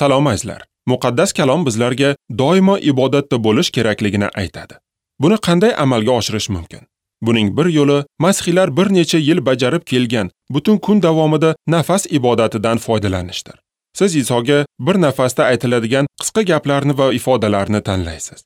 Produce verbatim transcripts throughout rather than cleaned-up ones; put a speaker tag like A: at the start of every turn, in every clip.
A: Salom azizlar. Muqaddas kalom bizlarga doimo ibodatda bo'lish kerakligini aytadi. Buni qanday amalga oshirish mumkin? Buning bir yo'li masihiylar bir necha yil bajarib kelgan butun kun davomida nafas ibodatidan foydalanishdir. Siz Isoga bir nafasda aytiladigan qisqa gaplarni va ifodalarni tanlaysiz.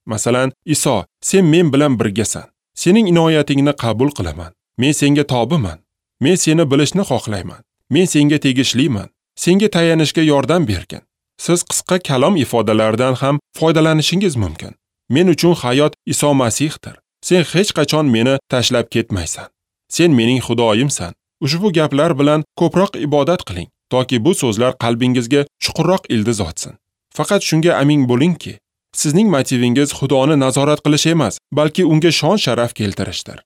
A: Masalan, Iso, sen men bilan birgasan. Sening inoyatingni qabul qilaman. Men senga tobiman. Men seni bilishni xohlayman. Men senga tegishliman. Senga tayanishga yordam bergin. Siz qisqa kalom ifodalaridan ham foydalanishingiz mumkin. Men uchun hayot Iso Masihdir. Sen hech qachon meni tashlab ketmaysan. Sen mening Xudoyimsan. Ushbu gaplar bilan ko'proq ibodat qiling, toki bu so'zlar qalbingizga chuqurroq ildiz otsin. Faqat shunga amin bo'lingki, sizning motivingiz Xudoni nazorat qilish emas, balki unga shon-sharaf keltirishdir.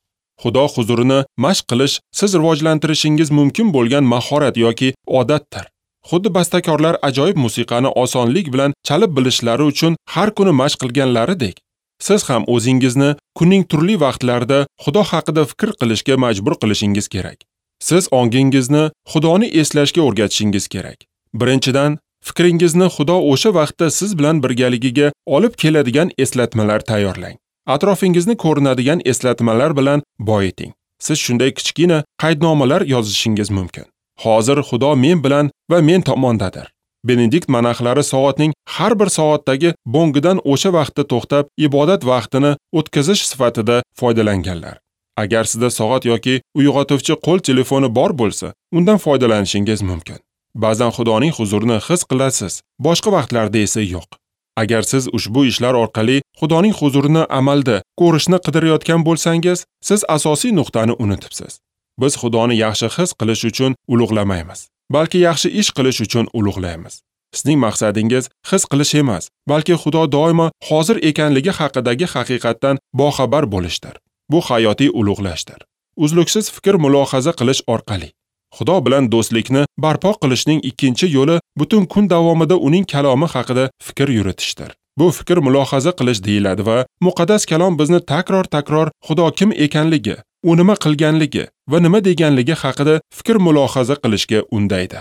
A: Xudo huzurini mashq qilish siz rivojlantirishingiz mumkin bo'lgan mahorat yoki odatdir. Xuddi bastakorlar ajoyib musiqani osonlik bilan chalib bilishlari uchun har kuni mashq qilganlaridek, siz ham o'zingizni kunning turli vaqtlarida Xudo haqida fikr qilishga majbur qilishingiz kerak. Siz ongingizni Xudoni eslashga o'rgatishingiz kerak. Birinchidan, fikringizni Xudo o'sha vaqtda siz bilan birgaligiga olib keladigan eslatmalar tayyorlang. Atrofingizni ko'rinadigan eslatmalar bilan boyiting. Siz shunday kichkina qaydnomalar yozishingiz mumkin. Hozir Xudo men bilan va men tomondadir. Benedikt monaxlari soatning har bir soatdagi bo'ngidan o'sha vaqtda to'xtab, ibodat vaqtini o'tkazish sifatida foydalanganlar. Agar sizda soat yoki uyg'otuvchi qo'l telefoni bor bo'lsa, undan foydalanishingiz mumkin. Ba'zan Xudoning huzurini his qilasiz, boshqa vaqtlarda esa yo'q. Agar siz ushbu ishlar orqali Xudoning huzurini amalda ko'rishni qidirayotgan bo'lsangiz, siz asosiy nuqtani unutibsiz. Biz Xudoni yaxshi his qilish uchun ulug'lamaymiz, balki yaxshi ish qilish uchun ulug'laymiz. Sizning maqsadingiz his qilish emas, balki Xudo doimo hozir ekanligi haqidagi haqiqatdan boxabar bo'lishdir. Bu hayotiy ulug'lashdir. Uzluksiz fikr mulohaza qilish orqali Xudo bilan do'stlikni barpo qilishning ikkinchi yo'li butun kun davomida uning kalomi haqida fikr yuritishdir. Bu fikr mulohaza qilish deyiladi va muqaddas kalom bizni takror-takror Xudo kim ekanligi, u nima qilganligi va nima deganligi haqida fikr mulohaza qilishga undaydi.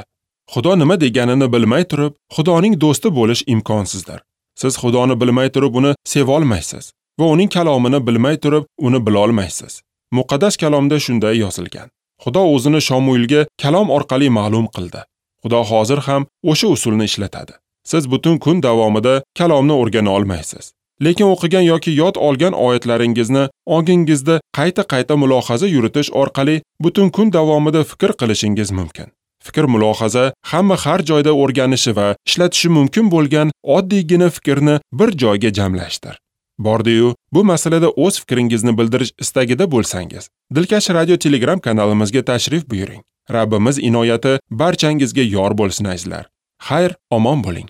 A: Xudo nima deganini bilmay turib, Xudoning do'sti bo'lish imkonsizdir. Siz Xudoni bilmay turib uni seva olmaysiz va uning kalomini bilmay turib uni bila olmaysiz. Muqaddas kalomda shunday yozilgan. Xudo o'zini Shomuilga kalom orqali ma'lum qildi. Xudo hozir ham o'sha usulni ishlatadi. Siz butun kun davomida kalomni o'rgana olmaysiz. Lekin o'qigan yoki yod olgan oyatlaringizni ongingizda qayta-qayta mulohaza yuritish orqali butun kun davomida fikr qilishingiz mumkin. Fikr mulohaza hamma har joyda o'rganishi va ishlatishi mumkin bo'lgan oddiygina fikrni bir joyga jamlashdir. Bordi-yu, bu masalada o'z fikringizni bildirish istagida bo'lsangiz, Dilkash Radio Telegram kanalimizga tashrif buyuring. Rabbimiz inoyati barchangizga yor bo'lsin azizlar. Xayr, omon bo'ling.